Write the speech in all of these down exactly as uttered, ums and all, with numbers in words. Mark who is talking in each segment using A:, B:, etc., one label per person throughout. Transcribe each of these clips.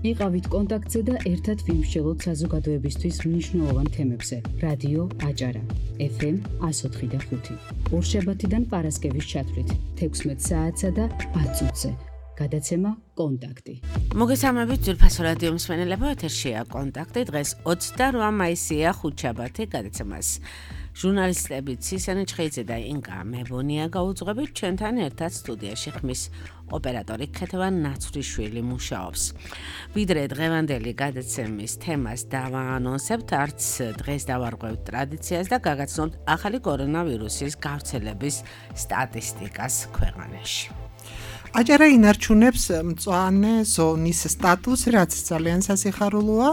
A: იყავით კონტაქტზე და ერთად ვიმსჯელოთ საზოგადოებისთვის მნიშვნელოვან თემებზე. რადიო აჭარა, ეფ ემ εκατო ოთხი და ხუთი. ორშაბათიდან პარასკევის ჩათვლით, თექვსმეტ საათსა და ათ წუთზე. გადაცემა კონტაქტი.
B: მოგესალმებით ძვირფასო რადიო მსმენელებო, ეთერშია კონტაქტი. დღეს ოცდაოთხი მაისია, ხუთშაბათი. გადაცემას ჟურნალისტები ცისანი ჩხეიძე და ინკა მებონია გაუძღვებით. ჩვენთან ერთად სტუდიაში ხმის ოპერატორი ქეთევან ნაცვლიშვილი მუშაობს. ვიდრე დღევანდელი გადაცემის თემას დავაანონსებთ, არც დღეს დავარღვევთ ტრადიციას და გაგაცნობთ ახალი კორონავირუსის გავრცელების სტატისტიკას ქვეყანაში.
C: აჭარა ინარჩუნებს მწვანე ზონის სტატუსს, რაც ძალიან სასიხარულოა.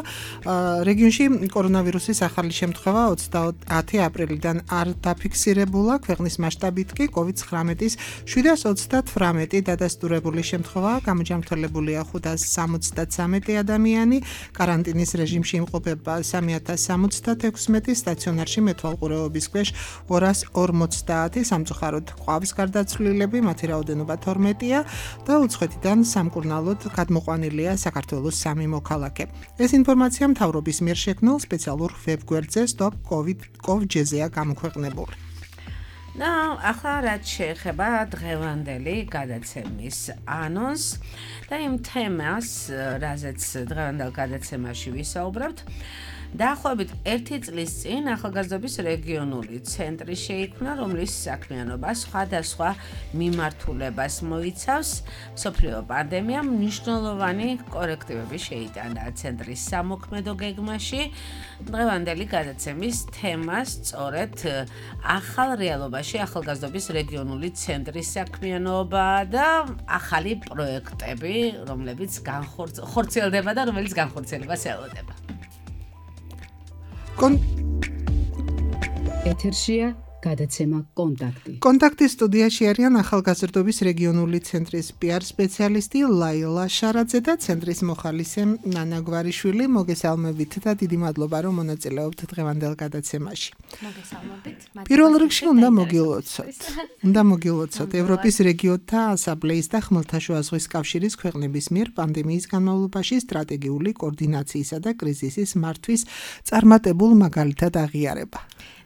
C: რეგიონში კორონავირუსის ახალი შემთხვევა ოცდაათი აპრილიდან არ დაფიქსირებულა. ქვეყნის მასშტაბით კი კოვიდ ცხრამეტის შვიდას ოცდათვრამეტი დადასტურებული შემთხვევა, გამოჯანმრთელებულია ხუთას სამოცდათსამეტი ადამიანი, კარანტინის რეჟიმში იმყოფება სამი ათას სამოცდათექვსმეტი, სტაციონარში მეთვალყურეობის ქვეშ ორას ორმოცდაათი, სამწუხაროდ ყავს გარდაცვლილები, მათი რაოდენობა თორმეტია. და უცხოეთიდან სამკურნალოდ გადმოყვანილია საქართველოს სამი მოქალაქე. ეს ინფორმაცია მთავრობის მიერ შექმნილ სპეციალურ ვებგვერდზე stop covid dot gov.gr-ზეა გამოქვეყნებული.
B: და ახლა რაც შეეხება დღევანდელი გადაცემის ანონს და იმ თემას, რაზეც დღევანდელ გადაცემაში ვისაუბრებთ, დაახლოებით ერთი წლის წინ ახალგაზრდობის რეგიონული ცენტრი შეიქმნა, რომლის საქმიანობა სხვადასხვა მიმართულებას მოიცავს. მსოფლიო პანდემიამ მნიშვნელოვანი კორექტივები შეიტანა ცენტრის სამოქმედო გეგმაში. დღევანდელი გადაცემის თემა სწორედ ახალ რეალობაში ახალგაზრდობის რეგიონული ცენტრის საქმიანობა და ახალი პროექტები, რომლებიც განხორციელდება და რომელიც განხორციელებას ელოდება.
C: კონ
A: ეთერშია გადაცემა კონტაქტი.
C: კონტაქტის სტუდიაში არიან ახალგაზრდობის რეგიონული ცენტრის პი არ სპეციალისტი ლაილა შარაძე და ცენტრის მოხალისე ნანა გვარიშვილი. მოგესალმებით და დიდი მადლობა, რომ მონაწილეობთ დღევანდელ გადაცემაში.
D: მოგესალმებით.
C: პირველ რიგში უნდა მოგილოცოთ. უნდა მოგილოცოთ ევროპის რეგიონთა ასამბლეის და ხმელთაშუა ზღვის კავშირის ქვეყნების მიერ პანდემიის განმავლობაში სტრატეგიული კოორდინაციისა და კრიზისის მართვის წარმატებულ მაგალითად აღიარება.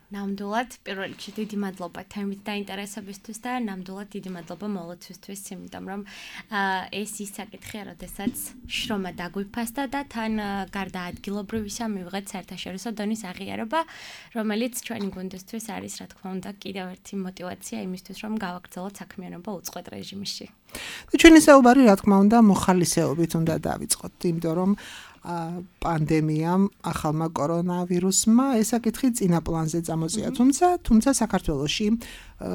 D: ნამდვილად, პირველ რიგში დიდი მადლობა თემით დაინტერესებისთვის და ნამდვილად დიდი მადლობა მოლოცვისთვის, იმიტომ რომ ეს ის საკითხია, როდესაც შრომა დაგვიფასდა და თან გარდა ადგილობრივისა მივიღეთ საერთაშორისო დონის აღიარება, რომელიც ჩვენი გუნდისთვის არის, რა თქმა უნდა, კიდევ ერთი мотиваცია იმისთვის, რომ გავაგრძელოთ საქმიანობა უწყვეტ რეჟიმში.
C: ჩვენი საუბარი, რა თქმა უნდა, მოხალისეობით უნდა დავიწყოთ, იმიტომ რომ პანდემიამ, ახალმა კორონავირუსმა ეს საკითხი წინა პლანზე წამოწია, თუმცა, თუმცა საქართველოში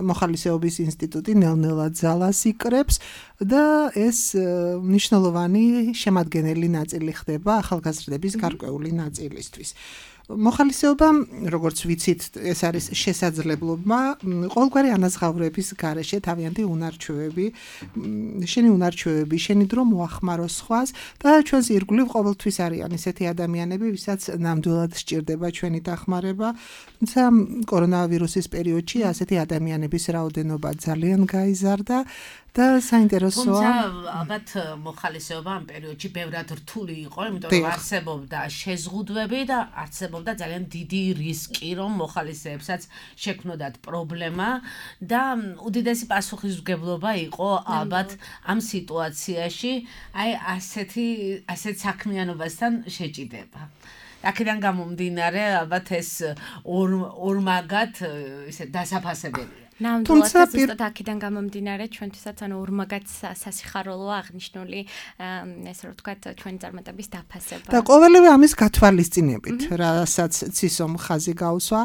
C: მოხალისეობის ინსტიტუტი ნელ-ნელა ძალას იკრებს და ეს მნიშვნელოვანი შემადგენელი ნაწილი ხდება ახალგაზრდების გარკვეული ნაწილისთვის. მოხალისეობა, როგორც ვიცით, ეს არის შესაძლებლობა ყოველგვარი ანაზღაურების გარეშე თავიანთი უნარჩვევები, შენი უნარჩვევები, შენი დრო მოახმარო სხვას და ჩვენს ირგვლივ ყოველთვის არიან ესეთი ადამიანები, ვისაც ნამდვილად სჭირდება ჩვენი დახმარება. თუმცა კორონავირუსის პერიოდში ასეთი ადამიანების რაოდენობა ძალიან გაიზარდა. და საინტერესოა.
B: თუმცა ალბათ მოხალისეობა ამ პერიოდში ბევრად რთული იყო, იმიტომ რომ არსებობდა შეზღუდვები და არსებობდა ძალიან დიდი რისკი, რომ მოხალისეებსაც შექმნოდათ პრობლემა და უდიდესი პასუხისმგებლობა იყო ალბათ ამ სიტუაციაში, აი ასეთი ასეთ საქმიანობასთან შეჭიდება. აქედან გამომდინარე, ალბათ ეს ორმაგად ისე დასაფასებელია.
D: თუმცა ზუსტად აქედან გამომდინარე ჩვენთვისაც ანუ ორმაგად სასიხარულოა აღნიშნული ესე რომ ვთქვათ ჩვენი წარმატების დაფასება.
C: და ყოველივე ამის გათვალისწინებით, რასაც ცისომ ხაზი გაუსვა,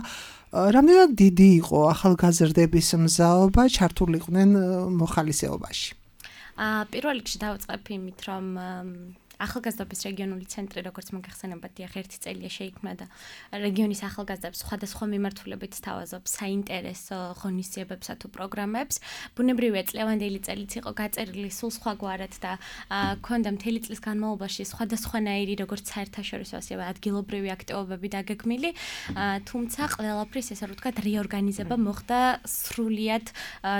C: რამდენად დიდი იყო ახალგაზრდების მზაობა ჩართულიყვნენ მოხალისეობაში.
D: აა პირველ რიგში დავიწყებ იმით, რომ ახალგაზრდობის რეგიონული ცენტრი, როგორც მოგეხსენებათ, დიახ, ერთი წელია შეიქმნა და რეგიონის ახალგაზრდებს სხვადასხვა მიმართულებით სთავაზობს საინტერესო ღონისძიებებსა თუ პროგრამებს. ბუნებრივია, წლევანდელი წელიც იყო გაწერილი სულ სხვაგვარად და ქონდა მთელი წლის განმავლობაში სხვადასხვანაირი, როგორც საერთაშორისო, ასევე ადგილობრივი აქტივობები დაგეგმილი, თუმცა ყველაფრის ესე რომ ვთქვათ, რეორგანიზება მოხდა სრულიად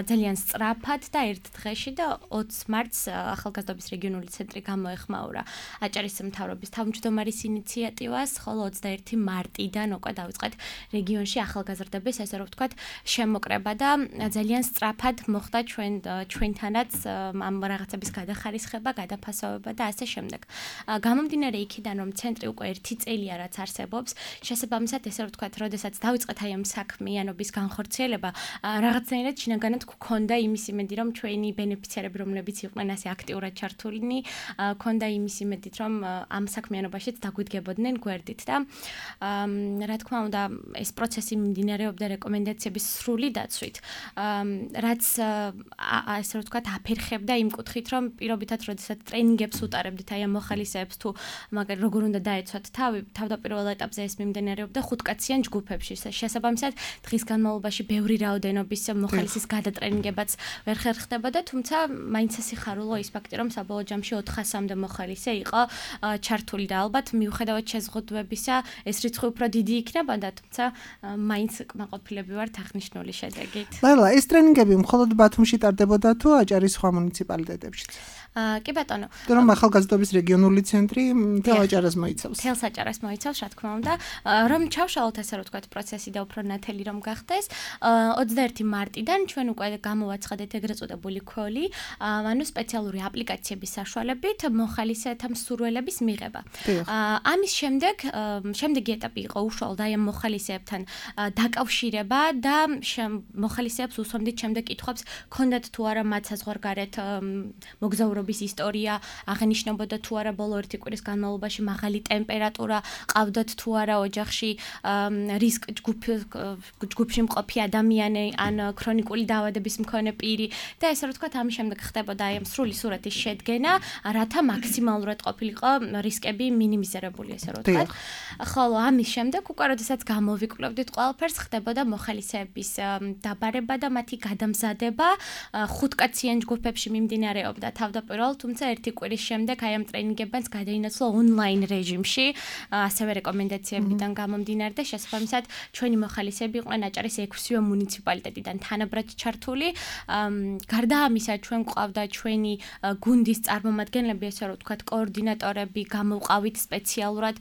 D: ძალიან სწრაფად და ერთ დღეში და ოცი მარტს ახალგაზრდობის რეგიონული ცენტრი გამოეხმაურა. აჭარის მთავრობის თავმჯდომარის ინიციატივას, ხოლო ოცდაერთი მარტიდან უკვე დავიწყეთ რეგიონში ახალგაზრდების, ესე რომ ვთქვათ, შემოკრება და ძალიან სწრაფად მოხდა ჩვენ ჩვენთანაც ამ რაღაცების გადახარისხება, გადაფასოვება და ასე შემდეგ. გამომდინარე იქიდან, რომ ცენტრი უკვე ერთი წელია რაც არსებობს, შესაბამისად, ესე რომ ვთქვათ, როდესაც დავიწყეთ აი ამ საქმიანობის განხორციელება, რაღაცნაირად შინაგანად გქონდა იმის იმედი, რომ ჩვენი ბენეფიციარები, რომლებიც იყვნენ ასე აქტიურად ჩართულნი, გქონდა იმის იმედით, რომ ამ საქმიანობაშიც დაგვიდგებოდნენ გვერდით და რა თქმა უნდა, ეს პროცესი მიმდინარეობდა რეკომენდაციების სრული დაცვით, რაც ასე რომ ვთქვათ, აფერხებდა იმ კუთხით, რომ პირობითად, როდესაც ტრენინგებს უტარებდით აი ამ მოხალისეებს თუ მაგალითად როგორ უნდა დაეცვათ თავი, თავდაპირველ ეტაპზე ეს მიმდინარეობდა ხუთკაციან ჯგუფებში. შესაბამისად, დღის განმავლობაში ბევრი რაოდენობის მოხალისის გადატრენინგებაც ვერ ხერხდებოდა, თუმცა მაინც ასიხარულო ის ფაქტი, რომ საბოლოო ჯამში ოთხასამდე მოხალისე იყო ჩართული და ალბათ მიუხედავად შეზღუდვებისა, ეს რიცხვი უფრო დიდი იქნებოდა, თუმცა მაინც კმაყოფილები ვართ აღნიშნული შედეგით.
C: ლაილა, ეს ტრენინგები მხოლოდ ბათუმში ტარდებოდა თუ აჭარის სხვა მუნიციპალიტეტებშიც?
D: კი ბატონო.
C: რომ ახალგაზრდობის რეგიონული ცენტრი მთელ აჭარას მოიცავს.
D: მთელ აჭარას მოიცავს, რა თქმა უნდა. რომ ჩავშალოთ ესე რომ ვთქვათ პროცესი და უფრო ნათელი რომ გახდეს, ოცდაერთი მარტიდან ჩვენ უკვე გამოვაცხადეთ ეგრეთ წოდებული ქოლი, ანუ სპეციალური აპლიკაციების საშუალებით მოხალისეთა მსურველების მიღება. ამის შემდეგ, შემდეგი ეტაპი იყო უშუალოდ აი ამ მოხალისეებთან დაკავშირება და მოხალისეებს უსვამდით შემდეგ კითხვებს, ქონდათ თუ არა მათ საზღვარგარეთ მოგზაურობა ისტორია, აღნიშნებოდა თუ არა ბოლო ერთი კვირის განმავლობაში მაღალი ტემპერატურა, ყავდათ თუ არა ოჯახში რისკ ჯგუფში მყოფი ადამიანი ან ქრონიკული დაავადების მქონე პირი და ესე რომ ვთქვათ, ამის შემდეგ ხდებოდა აი ამ სრული სურათის შედგენა, რათა მაქსიმალურად ყოფილიყო რისკები მინიმიზირებული, ესე რომ ვთქვათ. ხოლო ამის შემდეგ უკვე როდესაც გამოვიკვლევდით ყველაფერს, ხდებოდა მოხალისეების დაბარება და მათი გადამზადება ხუთკაციან ჯგუფებში მიმდინარეობდა თავდაპირველად, თუმცა ერთი კვირის შემდეგ აი ამ ტრენინგებიც გადაინაცვლა ონლაინ რეჟიმში, ასევე რეკომენდაციებიდან გამომდინარე და შესაბამისად ჩვენი მოხალისეები იყვნენ აჭარის ექვსივე მუნიციპალიტეტიდან თანაბრად ჩართული. გარდა ამისა, ჩვენ გვყავდა ჩვენი გუნდის წარმომადგენლები, ესე რომ ვთქვათ, კოორდინატორები, გამოვყავით სპეციალურად,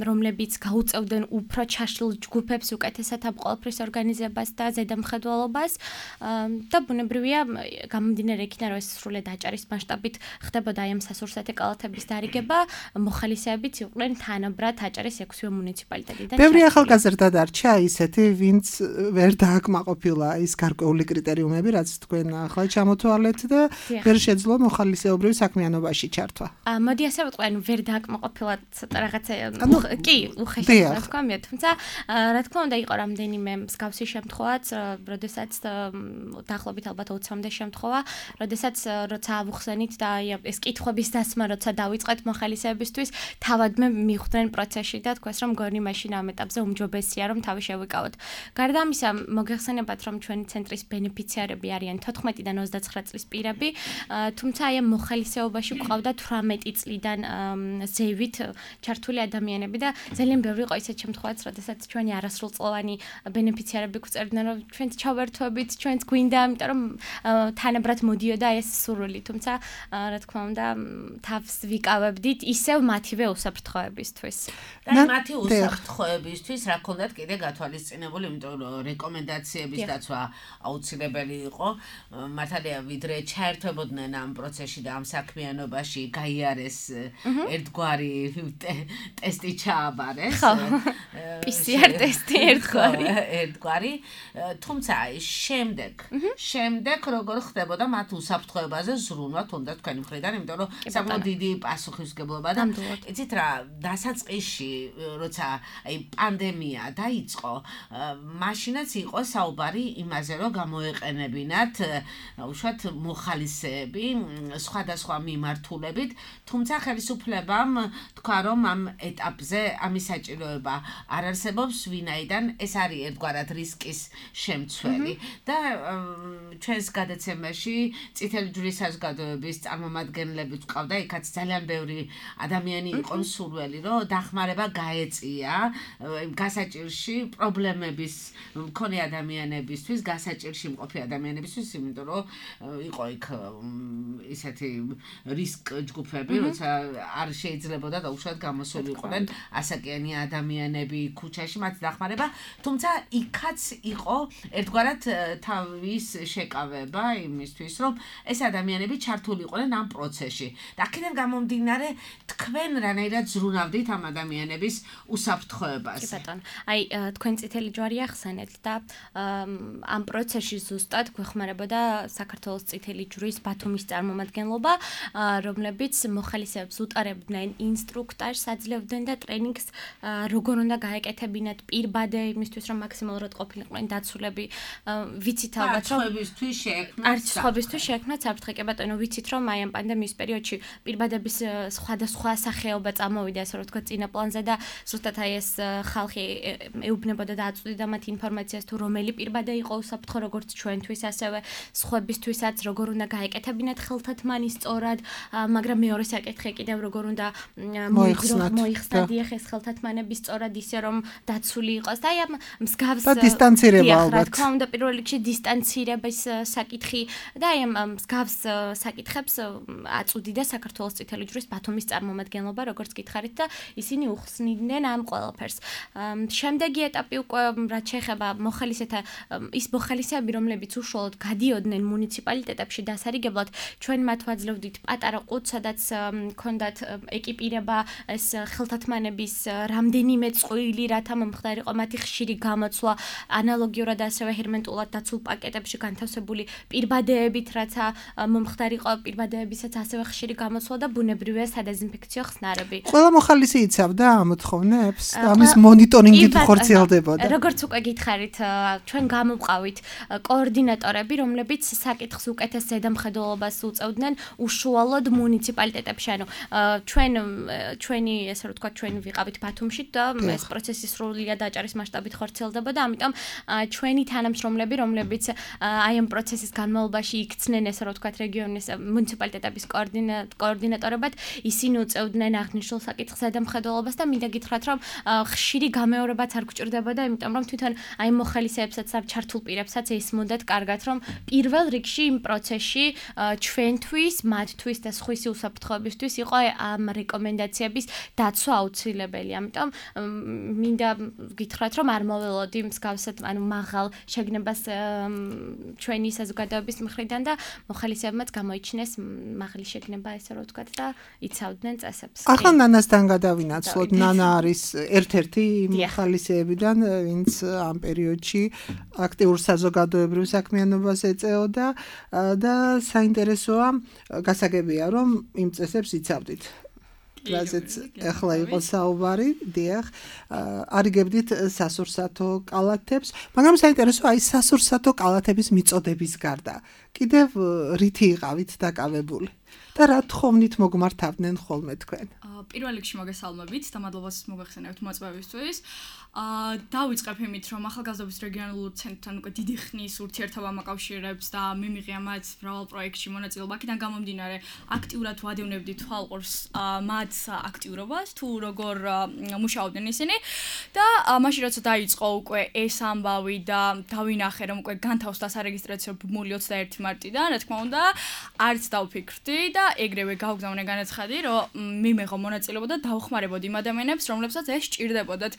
D: რომლებიც გაუწევდნენ უფრო ჩაშლილ ჯგუფებს უკეთესად ამ ყველაფრის ორგანიზებას და ზედამხედველობას და ბუნებრივია გამომდინარე იქიდან, რომ ეს სრულად აჭარის მასშტაბით ხდებოდა აი ამ სასურსათე კალათების დარიგება, მოხალისეებიც იყვნენ თანაბრად აჭარის ექვსივე მუნიციპალიტეტიდან.
C: ბევრი ახალგაზრდა დარჩა ისეთი, ვინც ვერ დააკმაყოფილა ის გარკვეული კრიტერიუმები, რაც თქვენ ახლა ჩამოთვალეთ და ვერ შეძლო მოხალისეობრივ საქმიანობაში ჩართვა.
D: მოდი ასე ვიტყვი, ანუ ვერ დააკმაყოფილა ცოტა რაღაცა კი, უხეში რა თქმა უნდა, თუმცა რა თქმა უნდა იყო რამდენიმე მსგავსი შემთხვევაც, როდესაც დაახლოებით ალბათ ოცამდე შემთხვევა, როდესაც როცა ავუხსენით და ეს კითხვების დასმა როცა დავიწყეთ მოხალისეებისთვის, თავადმე მიხვდნენ პროცესში და თქვეს რომ გონი მაშინ ამ ეტაპზე უმჯობესია რომ თავი შევიკავოთ. გარდა ამისა, მოგეხსენებათ რომ ჩვენი ცენტრის ბენეფიციარები არიან თოთხმეტიდან ოცდაცხრა წლის პირები, თუმცა აი ამ მოხალისეობაში გვყავდა თვრამეტი წლიდან ზევით ჩართული ადამიანები და ძალიან ბევრი იყო ისეთ შემთხვევაც, როდესაც ჩვენი არასრულწლოვანი ბენეფიციარები გვწერდნენ რომ ჩვენც ჩავერთვებით, ჩვენც გვინდა, იმიტომ რომ თანაბრად მოდიოდა ეს სურვილი, თუმცა რა თქმა უნდა თავს ვიკავებდით ისევ მათივე უსაფრთხოებისთვის.
B: და მათი უსაფრთხოებისთვის რა ქონდათ კიდე გათვალისწინებული, იმიტომ რომ რეკომენდაციების დაცვა აუცილებელი იყო. მართალია, ვიდრე ჩაერთვებოდნენ ამ პროცესში და ამ საქმიანობაში გაიარეს ერთგვარი ტესტი ჩააბარეს.
D: პი სი არ ტესტი ერთგვარი.
B: ერთგვარი, თუმცა შემდეგ, შემდეგ როგორ ხდებოდა მათ უსაფრთხოებაზე ზრუნვა თუნდაც თქვენი მხრიდან, იმიტომ რომ საკმაოდ დიდი პასუხისმგებლობა და იცით რა, დასაწყისში, როცა აი პანდემია დაიწყო, მაშინაც იყო საუბარი იმაზე, რომ გამოეყენებინათ უშუალოდ მოხალისეები სხვადასხვა მიმართულებით, თუმცა ხელისუფლებამ თქვა, რომ ამ ეტაპზე ამის საჭიროება არ არსებობს, ვინაიდან ეს არის ერთგვარად რისკის შემცველი და ჩვენს გადაცემაში წითელი ჯვრის საზოგადოების წარმომადგენლები ვყავდა, იქაც ძალიან ბევრი ადამიანი იყო მსურველი, რომ დახმარება გაეწია გასაჭირში პრობლემების მქონე ადამიანებისთვის, გასაჭირში მყოფი ადამიანებისთვის, იმიტომ რომ იყო იქ ისეთი რისკ ჯგუფი ჯგუფები, როცა არ შეიძლებოდა დაუშვათ გამოსულიყვნენ ასაკიანი ადამიანები ქუჩაში, მათ დახმარება, თუმცა იქაც იყო ერთგვარად თავის შეკავება იმისთვის, რომ ეს ადამიანები ჩართულიყვნენ ამ პროცესში. და აქედან გამომდინარე, თქვენ რანაირად ზრუნავდით ამ ადამიანების უსაფრთხოებას.
D: კი ბატონო, აი თქვენ წითელი ჯვარი ახსენეთ და ამ პროცესში ზუსტად გვეხმარებოდა საქართველოს წითელი ჯვრის ბათუმის წარმომადგენლობა, რომლებიც მოხალისეებს უტარებდნენ ინსტრუქტაჟს, აძლევდნენ და ტრენინგს როგორ უნდა გაეკეთებინათ პირბადე იმისთვის, რომ მაქსიმალურად ყოფილიყვნენ დაცულები. ვიცით ალბათ, რომ
B: არცხოვისთვის შეექმნათ.
D: არცხოვისთვის შეექმნათ საფრთხე, კი ბატონო, ვიცით, რომ აი ამ პანდემიის პერიოდში პირბადების სხვადასხვა სახეობა წამოვიდა, ასე რომ ვთქვათ, წინა პლანზე და ზუსტად აი ეს ხალხი ეუბნებოდა და აწვდიდა მათ ინფორმაციას თუ რომელი პირბადე იყო უსაფრთხო, როგორც ჩვენთვის, ასევე სხვებისთვისაც, როგორ უნდა გაეკეთებინათ ხელთათმანი სწორად, მაგრამ მეორე საკითხი კიდევ როგორ უნდა მოიხსნათ დიახ ეს ხელთათმანები სწორად ისე რომ დაცული იყოს და აი ამ მსგავს
C: და დისტანცირება ალბათ.
D: რა თქმა უნდა, პირველ რიგში დისტანცირების საკითხი და აი ამ მსგავს საკითხებს აწვდიდა საქართველოს წითელი ჯვრის ბათუმის წარმომადგენლობა, როგორც გითხარით და ისინი უხსნიდნენ ამ ყველაფერს. შემდეგი ეტაპი უკვე რაც შეეხება მოხალისეთა ის მოხალისეები, რომლებიც უშუალოდ გადიოდნენ მუნიციპალიტეტებში დასარიგებლად, ჩვენ მათ ვაძლევდით პატარა ყუთს, სადაც ჰქონდათ ეკიპირება ეს ხელთათმანების რამდენიმე წყვილი, რათა მომხდარიყო მათი ხშირი გამოცვლა, ანალოგიურად ასევე ჰერმენტულად დაცულ პაკეტებში განთავსებული პირბადეებით, რათა მომხდარიყო პირბადეებისაც ასევე ხშირი გამოცვლა და ბუნებრივია სადეზინფექციო ხსნარები.
C: ყველა მოხალისე იცავდა ამ მოთხოვნებს და ამის მონიტორინგით ხორციელდებოდა.
D: როგორც უკვე გითხარით, ჩვენ გამოვყავით კოორდინატორები, რომლებიც საკითხს უკეთეს ზედამხედველობას უწევდნენ უშუალოდ მუნიციპალიტეტებში. ანუ ჩვენ ჩვენი ესე რომ თქვა ჩვენ ვიყავით ბათუმში და ეს პროცესი სრულიად აჭარის მასშტაბით ხორციელდებოდა, ამიტომ ჩვენი თანამშრომლები, რომლებიც აი ამ პროცესის განმავლობაში იქცნენ ესე რომ თქვა რეგიონის მუნიციპალიტეტების კოორდინატორებად, ისინი უწევდნენ აღნიშნულ საკითხს ზედამხედველობას და მინდა გითხრათ, რომ ხშირი გამეორებაც არ გვჭირდებოდა, იმიტომ რომ თვითონ აი მოხალისეებსაც და ჩართულ პირებსაც ესმოდათ კარგად, რომ პირველ რიგში იმ პროცესში ჩვენთვის, მათთვის და სხვისი უსაფრთხოებისთვის იყო ამ რეკომენდაციების დაცვა აუცილებელი. ამიტომ მინდა გითხრათ, რომ არ მოველოდი მსგავსად, ანუ მაღალ შეგნებას ჩვენი საზოგადოების მხრიდან და მოხალისეებმაც გამოიჩინეს მაღალი შეგნება, ესე რომ ვთქვათ და იცავდნენ წესებს.
C: ახლა ნანასთან გადავინაცვლოთ. ნანა არის ერთ-ერთი მოხალისეებიდან, ვინც ამ პერიოდში აქტიურ საზოგადოებრივ საქმიანობას ეწეოდა და საინტერესოა, გასაგებია, რომ იმ წესებს იცავდით. რაზეც ახლა იყო საუბარი, დიახ, არიგებდით სასურსათო კალათებს, მაგრამ საინტერესოა აი სასურსათო კალათების მიწოდების გარდა. კიდევ რითი იყავით დაკავებული? და რა თხოვნით მოგმართავდნენ ხოლმე თქვენ?
E: პირველ რიგში მოგესალმებით და მადლობას მოგახსენებთ მოწვევისთვის. დავიწყებ იმით, რომ ახალგაზრდობის რეგიონულ ცენტრთან უკვე დიდი ხნის ურთიერთობა მოკავშირეებს და მიმიღია მათ მრავალ პროექტში მონაწილეობა. აქედან გამომდინარე, აქტიურად ვადევნებდით თვალყურს მათ აქტიურობას, თუ როგორ მუშაობდნენ ისინი და მაშინ როცა დაიწყო უკვე ეს ამბავი და დავინახე, რომ უკვე განთავსდა სარეგისტრაციო ბმული ოცდაერთი მარტიდან, რა თქმა უნდა, არც დავფიქრდი და ეგრევე გავგზავნე განაცხადი, რომ მიმეღო მონაწილეობა და დავხმარებოდი იმ ადამიანებს, რომლებსაც ეს სჭირდებოდათ.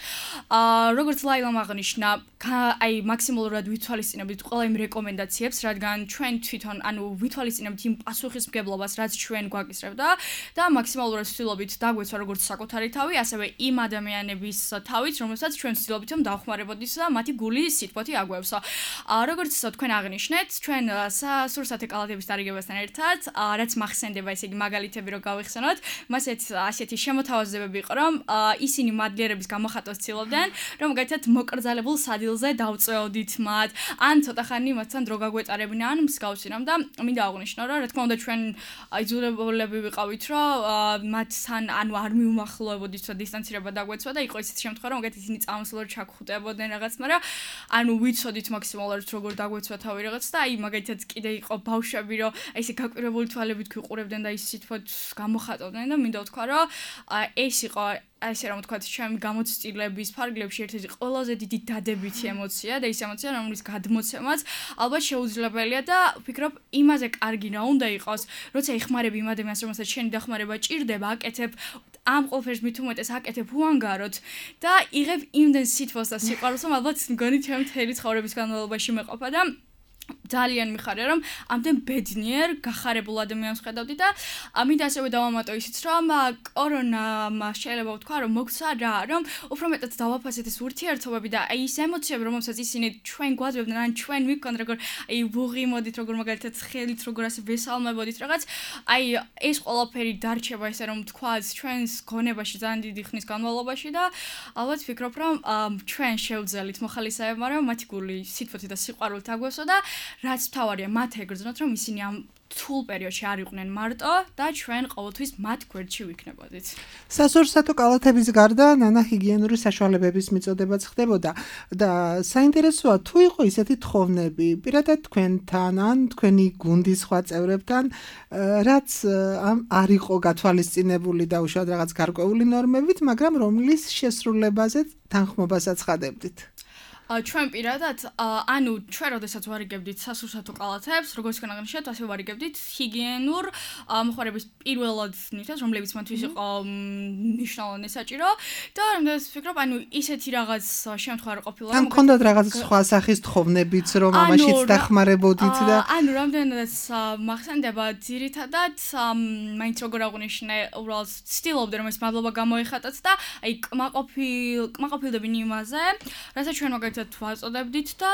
E: როგორც ლაილამ აღნიშნა, აი მაქსიმალურად ვითვალისწინებდით ყველა იმ რეკომენდაციებს, რადგან ჩვენ თვითონ, ანუ ვითვალისწინებთ იმ პასუხისმგებლობას, რაც ჩვენ გვაკისრებდა და მაქსიმალურად ვცდილობთ დაგვეცვა როგორც საკუთარი თავი, ასევე იმ ადამიანების თავით, რომლებსაც ჩვენ ვცდილობთ რომ დავხმარებოდით და მათი გული სიტყვათი აგვევსო. როგორც თქვენ აღნიშნეთ, ჩვენ სასურსათო კალათების დარიგებასთან ერთად, რაც მახსენდება, ესე იგი მაგალითები რო გავიხსენოთ, მას ასეთი შემოთავაზებები იყო, რომ ისინი მადლიერების გამოხატვას ცდილობდნენ, რომ მაგალითად მოკრძალებულ სადილზე დავწეოდით მათ, ან ცოტა ხანი მათთან დრო გაგვეტარებინა, ან მსგავსი რამ და მინდა აღვნიშნო, რომ რა თქმა უნდა ჩვენ იძულებულები ვიყავით, რომ მათთან ანუ არ მიუმახლოებოდით და დისტანცირება დაგვეცვა და იყო ისეთი შემთხვევა, რომ მაგალითად ისინი წამოსვლად ჩაგხვდებოდნენ რაღაც, მაგრამ ანუ ვიცოდით მაქსიმალურად როგორ დაგვეცვა თავი რაღაც და აი მაგალითად კიდე იყო ბავშვები, რომ აი ესე გაკვირვებული თვალებით გვიყურებდნენ და ის სიტყვით გამოხატავდნენ და მინდა ვთქვა, რომ ეს იყო ასე რომ ვთქვათ, ჩემი გამოცდილების ფარგლებში ერთ-ერთი ყველაზე დიდი დადებითი ემოცია და ის ემოცია, რომლის გადმოცემაც ალბათ შეუძლებელია და ვფიქრობ, იმაზე კარგი რა უნდა იყოს, როცა იხმარები იმ ადამიანს, რომელსაც შენი დახმარება ჭირდება, აკეთებ ამ ყველაფერს მით უმეტეს აკეთებ უანგაროდ და იღებ იმდენ სითბოს და სიყვარულს, რომ ალბათ მგონი ჩემი მთელი ცხოვრების განმავლობაში მეყოფა და ძალიან მიხარია რომ ამდენ ბედნიერ გახარებულ ადამიანს ხედავდი და მინდა ასევე დავამატო ისიც რომ კორონამ შეიძლება ვთქვა რომ მოგცა რა რომ უფრო მეტად დავაფასეთ ეს ურთიერთობები და აი ეს ემოციები რომელსაც ისინი ჩვენ გვაძებდნენ ან ჩვენ მიგქონდ როგორ აი ვუღიმოდით როგორ მაგალითად ხელით როგორ ასე ვესალმებოდით რაღაც აი ეს ყველაფერი დარჩება ესე რომ ვთქვა ჩვენს გონებაში ძალიან დიდი ხნის განმავლობაში და ალბათ ვფიქრობ რომ ჩვენ შევძელით მოხალისეებმა რომ მათი გული სითბოთი და სიყვარულით აგვესო და რაც თავარია მათ ეგრძნოთ რომ ისინი ამ თულ პერიოდში არ იყვნენ მარტო და ჩვენ ყოველთვის მათ გვერდში ვიქნებოდით.
C: სასურსათო კალათების გარდა ნანა ჰიგიენური საშუალებების მიწოდებაც ხდებოდა და საინტერესოა თუ იყო ისეთი თხოვნები პირადად თქვენთან ან თქვენი გუნდის სხვა წევრებთან რაც არ იყო გათვალისწინებული და უშუალოდ რაღაც გარკვეული ნორმებით, მაგრამ რომლის შესრულებაზე თანხმობასაც ხადებდით.
E: ჩვენ პირადად ანუ ჩვენ როდესაც ვარიგებდით სასურსათო კალათებს, როგორც განაღნიშნეთ, ასე ვარიგებდით ჰიგიენურ მოხმარების პირველად ნივთებს, რომლებიც მათთვის იყო მნიშვნელოვანი საჭირო და რამდენიც ვფიქრობ, ანუ ისეთი რაღაც შემთხვევა არ ყოფილა.
C: ან გქონდათ რაღაც სხვა სახის თხოვნებიც, რომ ამაშიც დახმარებოდით და
E: ანუ რამდენიც მახსენდება ძირითადად მაინც როგორ აღვნიშნე, უბრალოდ ცდილობდნენ რომ ეს მადლობა გამოიხატოთ და აი კმაყოფილ კმაყოფილდებინ იმაზე, რასაც ჩვენ მაგალითად ვაწოდებდით და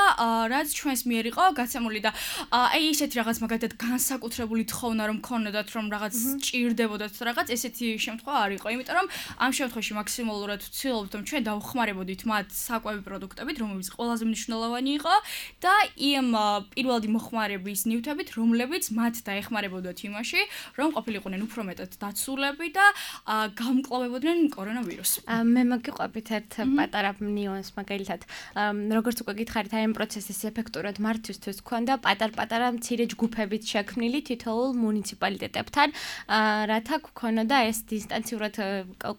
E: რაც ჩვენს მიერ იყო გაცემული და აი ესეთი რაღაც მაგალითად განსაკუთრებული თხოვნა რომ ქონოდათ რომ რაღაც ჭირდებოდათ რაღაც ესეთი შემთხვევა არ იყო, იმიტომ რომ ამ შემთხვევაში მაქსიმალურად ვცდილობთ რომ ჩვენ დავხმარებოდით მათ საკვები პროდუქტებით, რომლებიც ყველაზე მნიშვნელოვანი იყო და იმ პირველადი მოხმარების ნივთებით, რომლებიც მათ დაეხმარებოდათ იმაში, რომ ყოფილიყვნენ უფრო მეტად დაცულები და გამკლავებოდნენ კორონავირუსს.
D: მე მოგიყვებით ერთ პატარა ნიუანს მაგალითად როგორც უკვე გითხარით, აი ამ პროცესის ეფექტურად მართვისთვის ქონდა პატარ-პატარა მცირე ჯგუფებით შექმნილი თითოეულ მუნიციპალიტეტებთან, რათა გქონოდა ეს დისტანციურად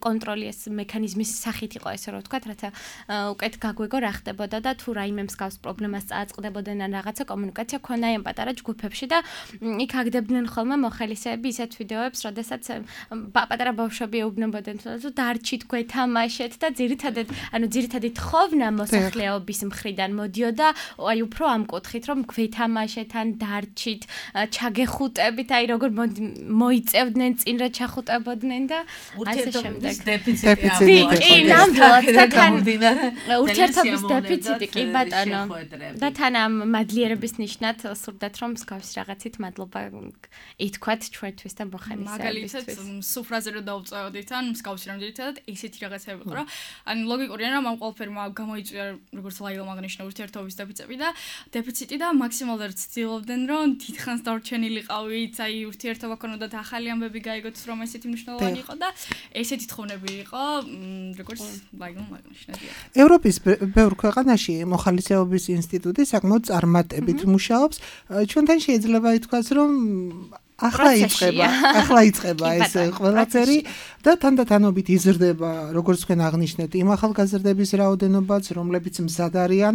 D: კონტროლი ეს მექანიზმის სახით იყო ესე რომ ვთქვათ, რათა უკეთ გაგვეგო რა ხდებოდა და თუ რაიმე მსგავს პრობლემას წააწყდებოდნენ ან რაღაცა კომუნიკაცია ქონდა ამ პატარა ჯგუფებში და იქ აგდებდნენ ხოლმე მოხალისეები ისეთ ვიდეოებს, როდესაც პატარა ბავშვები ეუბნებოდნენ თუ დარჩით გვეთამაშეთ და ძირითადად ანუ ძირითადი თხოვნა მოსახლეობის მხრიდან მოდიოდა აი უფრო ამ კუთხით რომ გვეთამაშეთ ან დარჩით ჩაგეხუტებით აი როგორ მოიწევდნენ წინ რა ჩახუტებოდნენ და ასე შემდეგ
B: დეფიციტი
D: კი ნამდვილად და თან ურთიერთობის დეფიციტი კი ბატონო და თან ამ მადლიერების ნიშნად სურდათ რომ მსგავსი რაღაცით მადლობა ითქვათ ჩვენთვის და მოხალისეებისთვის
E: მაგალითად სუფრაზე რომ დავწევდით ან მსგავსი რომ ძირითადად ესეთი რაღაცები იყო რა ან ლოგიკურია რომ ამ ყველაფერმა გამოიწვია როგორც ლაილა მაგნიშნა ურთიერთობის დეფიციტი და დეფიციტი და მაქსიმალურად ცდილობდნენ რომ დიდხანს დარჩენილიყავით, აი ურთიერთობა ქონოდათ ახალი ამბები გაიგოთ რომ ესეთი მნიშვნელოვანი იყო და ესეთი თხოვნები იყო როგორც ლაილა მაგნიშნა.
C: ევროპის ბევრ ქვეყანაში მოხალისეობის ინსტიტუტი საკმაოდ წარმატებით მუშაობს. ჩვენთან შეიძლება ითქვას რომ ახლა იწყება, ახლა იწყება ეს ყველაფერი და თანდათანობით იზრდება, როგორც თქვენ აღნიშნეთ, იმ ახალგაზრდების რაოდენობაც, რომლებიც მზად არიან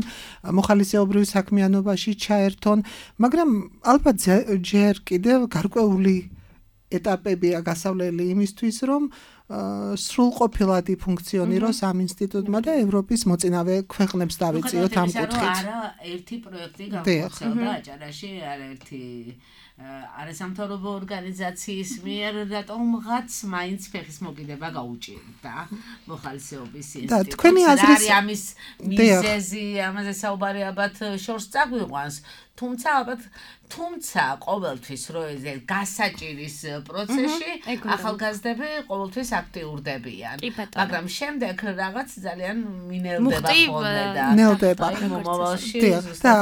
C: მოხალისეობრივ საქმიანობაში ჩაერთონ, მაგრამ ალბათ ჯერ კიდევ გარკვეული ეტაპებია გასავლელი იმისთვის, რომ სრულყოფილად იფუნქციონიროს ამ ინსტიტუტმა და ევროპის მოწინავე ქვეყნებს დავიწიოთ ამ კუთხით.
B: არა ერთი პროექტი გამოხსოვდა აჭარაში, არა ერთი არასამთავრობო ორგანიზაციის მიერ რატომღაც მაინც ფეხის მოკიდება გაუჭირდა მოხალისეობის ინსტიტუტს.
C: და თქვენი აზრის
B: ამის მიზეზი, ამაზე საუბარი ალბათ შორს წაგვიყვანს, თუმცა ალბათ თუმცა ყოველთვის რო ეს გასაჭირის პროცესში ახალგაზრდები ყოველთვის აქტიურდებიან, მაგრამ შემდეგ რაღაც ძალიან მინელდება ხოლმე და
C: ნელდება
B: მომავალში.
C: და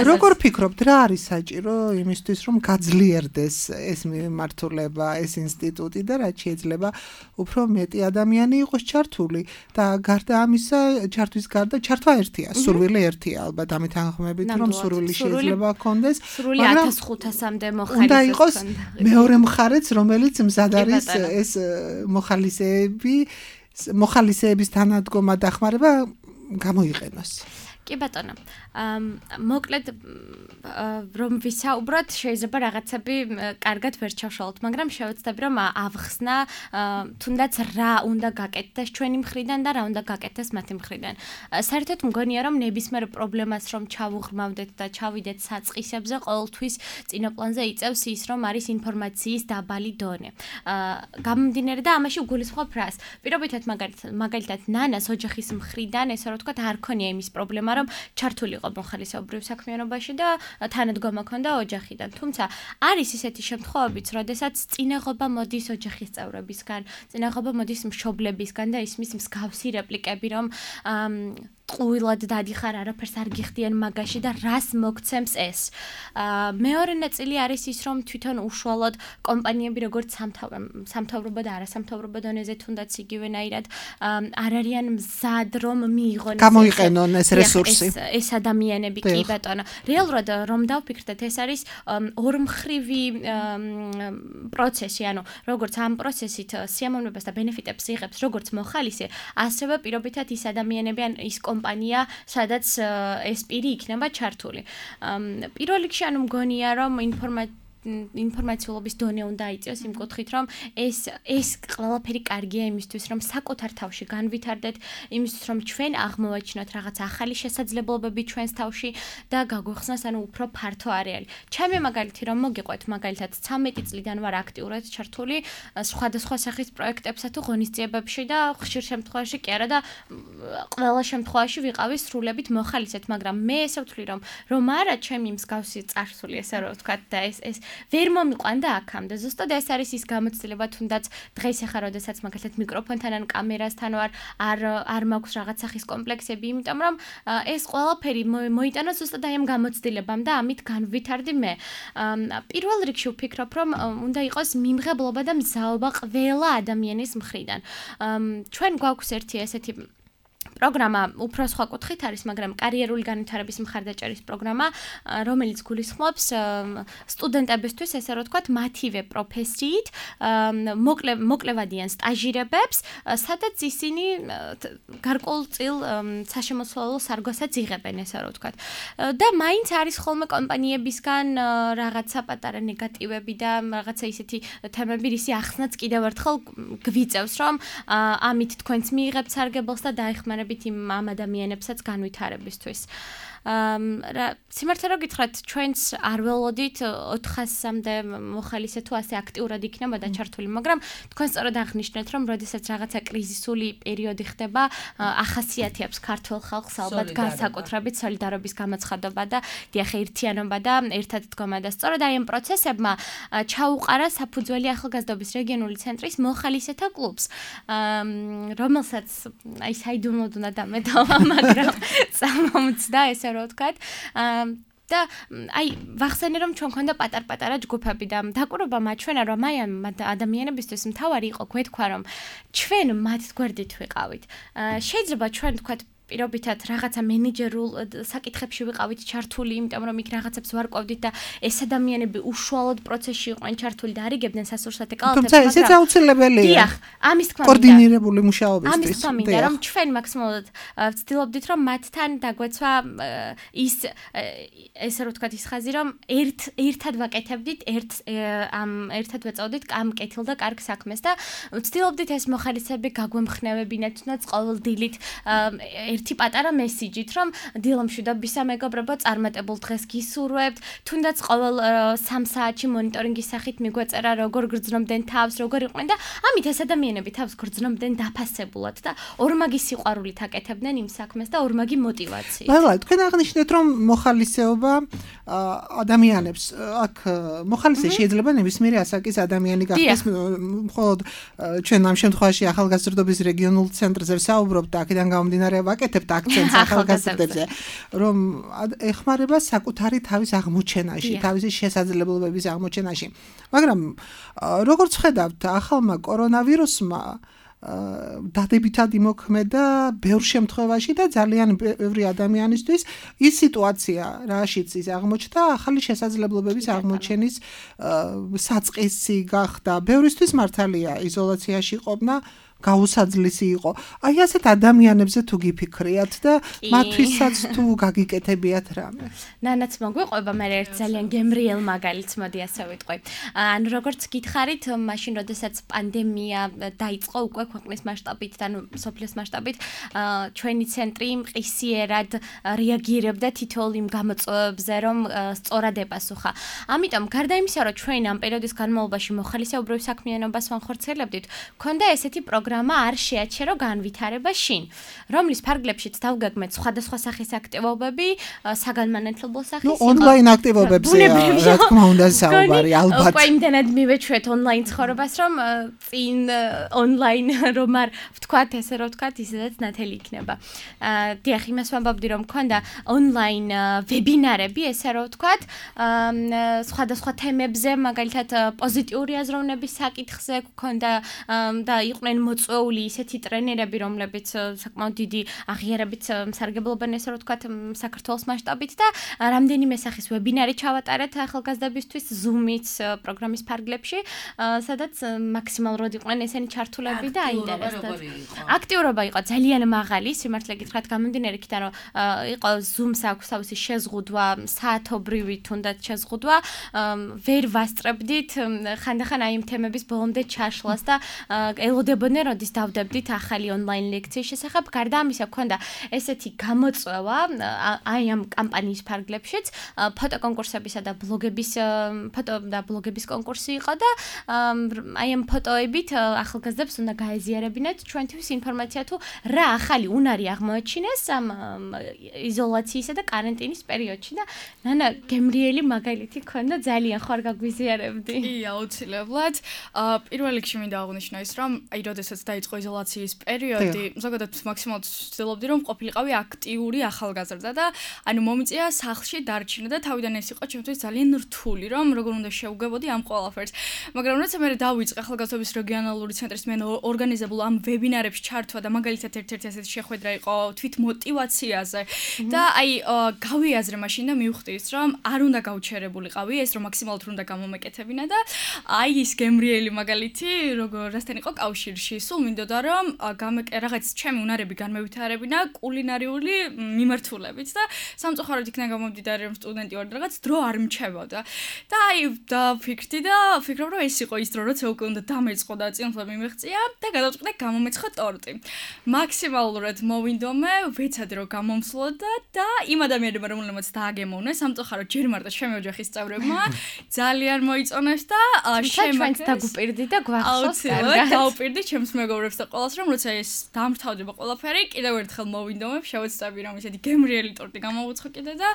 C: როგორ ფიქრობთ, რა არის საჭირო იმისთვის რომ გაძლიერდეს ეს მიმართულება, ეს ინსტიტუტი და რაც შეიძლება უფრო მეტი ადამიანი იყოს ჩართული და გარდა ამისა, ჩართვის გარდა ჩართვა ერთია, სურვილი ერთია ალბათ ამით თანხმობით რომ სურვილი შეიძლება განვითარება ჰქონდეს,
D: სრული ათას ხუთასამდე მოხალისე
C: უნდა იყოს მეორე მხარეც, რომელიც მზად არის ეს მოხალისეები, მოხალისეების თანადგომა დახმარება გამოიყენოს.
D: კი ბატონო. მოკლედ რომ ვისაუბროთ, შეიძლება რაღაცები კარგად ვერ ჩავშალოთ, მაგრამ შევეცდები რომ ავხსნა თუნდაც რა უნდა გაკეთდეს ჩვენი მხრიდან და რა უნდა გაკეთდეს მათი მხრიდან. საერთოდ მგონია რომ ნებისმიერ პრობლემას რომ ჩავუღრმავდეთ და ჩავიდეთ საწყისებზე, ყოველთვის წინაპლანზე იწევს ის რომ არის ინფორმაციის დაბალი დონე. გამომდინარე და ამაში ვგულისხმობ რას? პირობითად მაგალითად ნანას ოჯახის მხრიდან ესე რომ ვთქვათ არ ქონია იმის პრობლემა რომ ჩართული მოხალისეობრივ საქმიანობაში და თანადგომა ქონდა ოჯახიდან. თუმცა არის ისეთი შემთხვევებიც, როდესაც წინაღობა მოდის ოჯახის წევრებისგან, წინაღობა მოდის მშობლებისგან და ისმის მსგავსი რეპლიკები, რომ ყუილად დადიხარ, არაფერს არ გიხდიან მაგაში და რას მოგცემს ეს. მეორე ნაწილი არის ის, რომ თვითონ უშუალოდ კომპანიები როგორც სამთავრობო და არასამთავრობო დონეზე თუნდაც იგივენაირად არ არიან მზად რომ მიიღონ
C: გამოიყენონ ეს რესურსი.
D: ეს ადამიანები კი ბატონო. რეალურად რომ დავფიქრდეთ, ეს არის ორმხრივი პროცესი, ანუ როგორც ამ პროცესით სიამოვნებას და ბენეფიტებს იღებს როგორც მოხალისე, ასევე პირობითად ის ადამიანები ან ის კომპანია, სადაც ეს პირი იქნება ჩართული. პირველ რიგში ანუ მგონია რომ ინფორმაცია ინფორმაციულობის დონე უნდა იწევს იმ კუთხით, რომ ეს ეს ყველაფერი კარგია იმისთვის, რომ საკუთარ თავში განვითარდეთ, იმისთვის, რომ ჩვენ აღმოვაჩინოთ რაღაც ახალი შესაძლებლობები ჩვენს თავში და გაგვეხსნას ანუ უფრო ფართო არეალი. ჩემი მაგალითი რომ მოგიყვეთ, მაგალითად ცამეტი წლიდან ვარ აქტიურად ჩართული სხვადასხვა სახის პროექტებსა თუ ღონისძიებებში და ხშირ შემთხვევაში კი არა და ყველა შემთხვევაში ვიყავი სრულებით მოხალისეთ, მაგრამ მე ესე ვთვლი რომ რომ არა ჩემი მსგავსი წარსული ესე რომ ვთქვათ და ეს ეს ვერ მომიყვანდა აქამდე. ზუსტად ეს არის ის გამოცდილება, თუნდაც დღეს ახლა როდესაც მაგალითად მიკროფონთან ან კამერასთან ვარ, არ არ მაქვს რაღაც სახის კომპლექსები, იმიტომ რომ ეს ყველაფერი მოიტანა ზუსტად აი ამ გამოცდილებამ და ამით განვითარდი მე. პირველ რიგში ვფიქრობ, რომ უნდა იყოს მიმღებლობა და მზაობა ყველა ადამიანის მხრიდან. ჩვენ გვაქვს ერთი ესეთი პროგრამა უფრო სხვა კუთხით არის, მაგრამ კარიერული განვითარების მხარდაჭერის პროგრამა, რომელიც გულისხმობს სტუდენტებისთვის, ესე რომ ვთქვათ, მათივე პროფესიით მოკლევადიან სტაჟირებებს, სადაც ისინი გარკვეულწილ საშემოსავლო სარგოსაც იღებენ, ესე რომ ვთქვათ. და მაინც არის ხოლმე კომპანიებისგან რაღაცა პატარა ნეგატივები და რაღაცა ისეთი თემები, რისი ახსნაც კიდევ ერთხელ გვიწევს, რომ ამით თქვენც მიიღებთ სარგებელს და დაეხმარებით იმ ამ ადამიანებსაც განვითარებისთვის. სიმართლე რომ გითხრათ, ჩვენც არ ველოდით ოთხასამდე მოხალისე თუ ასე აქტიურად იქნებოდა ჩართული, მაგრამ თქვენ სწორად აღნიშნეთ, რომ როდესაც რაღაცა კრიზისული პერიოდი ხდება, ახასიათებს ქართულ ხალხს ალბათ განსაკუთრებით სოლიდარობის გამოცხადება და დიახ ერთიანობა და ერთად დგომა და სწორად აი ამ პროცესებმა ჩაუყარა საფუძველი ახალგაზრდობის რეგიონული ცენტრის მოხალისეთა კლუბს, რომელსაც აი საიდუმლოდ უნდა დამეტოვა, მაგრამ წამომწდა ეს რო ვთქვათ. და აი ვახსენე რომ ჩვენ ქონდა პატარ-პატარა ჯგუფები და დაკვირვება მაჩვენა რომ აი ამ ადამიანებისთვის მთავარი იყო გვეთქვა რომ ჩვენ მათ გვერდით ვიყავით. შეიძლება ჩვენ ვთქვათ პირობითად რაღაცა მენეჯერულ საკითხებში ვიყავით ჩართული, იმიტომ რომ იქ რაღაცებს ვარკვევდით და ეს ადამიანები უშუალოდ პროცესში იყვნენ ჩართული და არიგებდნენ სასურსათე კალათებს,
C: მაგრამ თუმცა ესეც აუცილებელია.
D: დიახ, ამის თქმა
C: კოორდინირებული მუშაობისთვის.
D: ამის თქმა მინდა რომ ჩვენ მაქსიმალურად ვცდილობდით რომ მათთან დაგვეცვა ის ესე რომ ვთქვათ ის ხაზი რომ ერთ ერთად ვაკეთებდით, ერთ ამ ერთად ვეწავდით ამ კეთილ და კარგ საქმეს და ვცდილობდით ეს მოხალისეები გაგვემხნევებინათ, თუნდაც ყოველ დილით ერთი პატარა მესიჯით, რომ დილამშვიდობისა მეგობრებო, წარმატებულ დღეს გისურვებთ, თუნდაც ყოველ სამ საათში მონიტორინგის სახით მიგვეწერა, როგორ გრძნობდნენ თავს, როგორ იყვნენ და ამით ეს ადამიანები თავს გრძნობდნენ დაფასებულად და ორმაგი სიყვარულით აკეთებდნენ იმ საქმეს და ორმაგი მოტივაციით.
C: ლალა, თქვენ აღნიშნეთ, რომ მოხალისეობა ადამიანებს, აქ მოხალისე შეიძლება ნებისმიერი ასაკის ადამიანი გახდეს, მხოლოდ ჩვენ ამ შემთხვევაში ახალგაზრდობის რეგიონულ ცენტრზე ვსაუბრობთ და აქედან გამომდინარე ვაკეთებთ აქცენტს ახალგაზრდებზე, რომ ეხმარება საკუთარი თავის აღმოჩენაში, თავისი შესაძლებლობების აღმოჩენაში. მაგრამ როგორც ხედავთ, ახალმა კორონავირუსმა დადებითად იმოქმედა ბევრ შემთხვევაში და ძალიან ბევრი ადამიანისთვის ის სიტუაცია, რაშიც ის აღმოჩნდა, ახალი შესაძლებლობების აღმოჩენის საწყისი გახდა. ბევრისთვის მართალია იზოლაციაში ყოფნა გაუსაძლისი იყო. აი ასეთ ადამიანებზე თუ გიფიქრიათ და მათთვისაც თუ გაგიკეთებიათ რამე.
D: ნანაც მოგვიყვება, მე ერთ ძალიან გემრიელ მაგალითს მოდი ასე ვიტყვი. ანუ როგორც გითხარით, მაშინ როდესაც პანდემია დაიწყო უკვე ქვეყნის მასშტაბით და სოფლის მასშტაბით, ჩვენი ცენტრი მყისიერად რეაგირებდა თითოეულ იმ გამოწვევებზე, რომ სწორად ეპასუხა. ამიტომ გარდა იმისა, რომ ჩვენ ამ პერიოდის განმავლობაში მოხალისეობრივ საქმიანობას ვახორციელებდით, ქონდა ესეთი პროგრამა არ შეაჩერო განვითარება შინ, რომლის ფარგლებშიც დავგეგმეთ სხვადასხვა სახის აქტივობები, საგანმანათლებლო სახის.
C: ნუ ონლაინ აქტივობებზეა, რა თქმა უნდა, საუბარი, ალბათ.
D: უკვე იმდენად მივეჩვეთ ონლაინ ცხოვრებას, რომ წინ ონლაინ რომ არ ვთქვათ, ესე რომ ვთქვათ, ისედაც ნათელი იქნება. დიახ, იმას ვამბობდი, რომ მქონდა ონლაინ ვებინარები, ესე რომ ვთქვათ, სხვადასხვა თემებზე, მაგალითად პოზიტიური აზროვნების საკითხზე გქონდა და იყვნენ წვეული ისეთი ტრენერები, რომლებიც საკმაოდ დიდი აღიარებით მსარგებლობენ ესე რომ ვთქვათ საქართველოს მასშტაბით და რამდენიმე სახის ვებინარი ჩავატარეთ ახალგაზრდებისთვის Zoom-ით პროგრამის ფარგლებში, სადაც მაქსიმალურად იყვნენ ესენი ჩართულები და აინტერესებდათ. აქტიურობა იყო ძალიან მაღალი, სიმართლე გითხრათ, გამომდინარე იქიდან რომ იყო Zoom-ს აქვს თავისი შეზღუდვა, საათობრივი თუნდაც შეზღუდვა, ვერ ვასწრებდით ხანდახან აი იმ თემების ბოლომდე ჩაშლას და ელოდებოდნენ როდის დავდებდით ახალი ონლაინ ლექციის შესახებ. გარდა ამისა, გქონდა ესეთი გამოწვევა აი ამ კამპანიის ფარგლებშიც, ფოტოკონკურსებისა და ბლოგების ფოტო და ბლოგების კონკურსი იყო და აი ამ ფოტოებით ახალგაზრდებს უნდა გაეზიარებინათ ჩვენთვის ინფორმაცია თუ რა ახალი უნარი აღმოაჩინეს ამ იზოლაციისა და კარანტინის პერიოდში და ნანა გემრიელი მაგალითი ქონდა, ძალიან ხარ გაგვიზიარებდი.
E: კი, აუცილებლად. პირველ რიგში მინდა აღვნიშნო ის, რომ აი როდესაც დაიწყო იზოლაციის პერიოდი, ზოგადად მაქსიმალურად ვცდილობდი, რომ ყოფილიყავი აქტიური ახალგაზრდა და ანუ მომიწია სახლში დარჩენა და თავიდან ეს იყო ჩემთვის ძალიან რთული, რომ როგორ უნდა შევგებოდი ამ ყველაფერს. მაგრამ როცა მე დავიწყე ახალგაზრდობის რეგიონალური ცენტრის მე ორგანიზებულ ამ ვებინარებში ჩართვა და მაგალითად ერთ-ერთი ასეთი შეხვედრა იყო თვით მოტივაციაზე და აი გავიაზრე მაშინ და მივხვდი ის, რომ არ უნდა გავჩერებულიყავი, ეს რომ მაქსიმალურად უნდა გამომეკეთებინა და აი ის გემრიელი მაგალითი, როგორ რასთან იყო კავშირში, სულ მინდოდა რომ რაღაც ჩემი უნარები განმევითარებინა კულინარიული მიმართულებით და სამწუხაროდ იქნა გამომდიდარი რომ სტუდენტი ვარ და რაღაც დრო არ მჩებოდა. და აი დავფიქრდი და ვფიქრობ რომ ეს იყო ის დრო, როცა უკვე უნდა დამეწყო და წინსვლა მიმეღწია და გადავწყვიტე გამომეცხო ტორტი. მაქსიმალურად მოვინდომე, ვეცადე რომ გამომსვლოდა და იმ ადამიანებმა რომელმაც დააგემოვნეს, სამწუხაროდ ჯერ მარტო ჩემი ოჯახის წევრებმა ძალიან მოიწონეს და
D: შემოგვიყვანს დაგუპირდი და გვახსოვს კარგად.
E: დავუპირდი ჩემს მეგობრებს და ყველას რომ როცა ეს დამთავრდება ყველაფერი, კიდევ ერთხელ მოვინდომებ, შევეცდები რომ ისეთი გემრიელი ტორტი გამოვუცხო კიდე და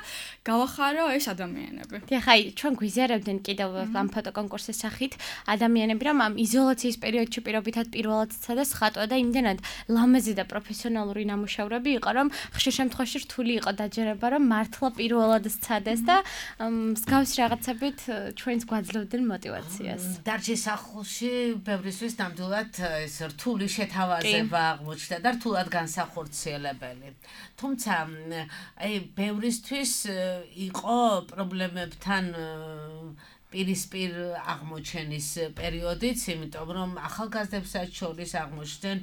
E: გავახარო ეს ადამიანები.
D: დიახ, აი ჩვენ გვიზიარებდნენ კიდევ ამ ფოტოკონკურსის სახით ადამიანები, რომ ამ იზოლაციის პერიოდში პირობითად პირველად ცადა ხატვა და იმდენად ლამაზი და პროფესიონალური ნამუშევრები იყო, რომ ხშირ შემთხვევაში რთული იყო დაჯერება, რომ მართლა პირველად სცადეს და მსგავს რაღაცებით ჩვენს გვაძლევდნენ მოტივაციას.
B: დარჩის სახლში ბევრისთვის ნამდვილად ეს რთული შეთავაზება აღმოჩნდა და რთულად განსახორციელებელი. თუმცა აი ბევრისთვის იყო პრობლემებთან პირისპირ აღმოჩენის პერიოდიც, იმიტომ რომ ახალგაზრდებსაც შორის აღმოჩნდნენ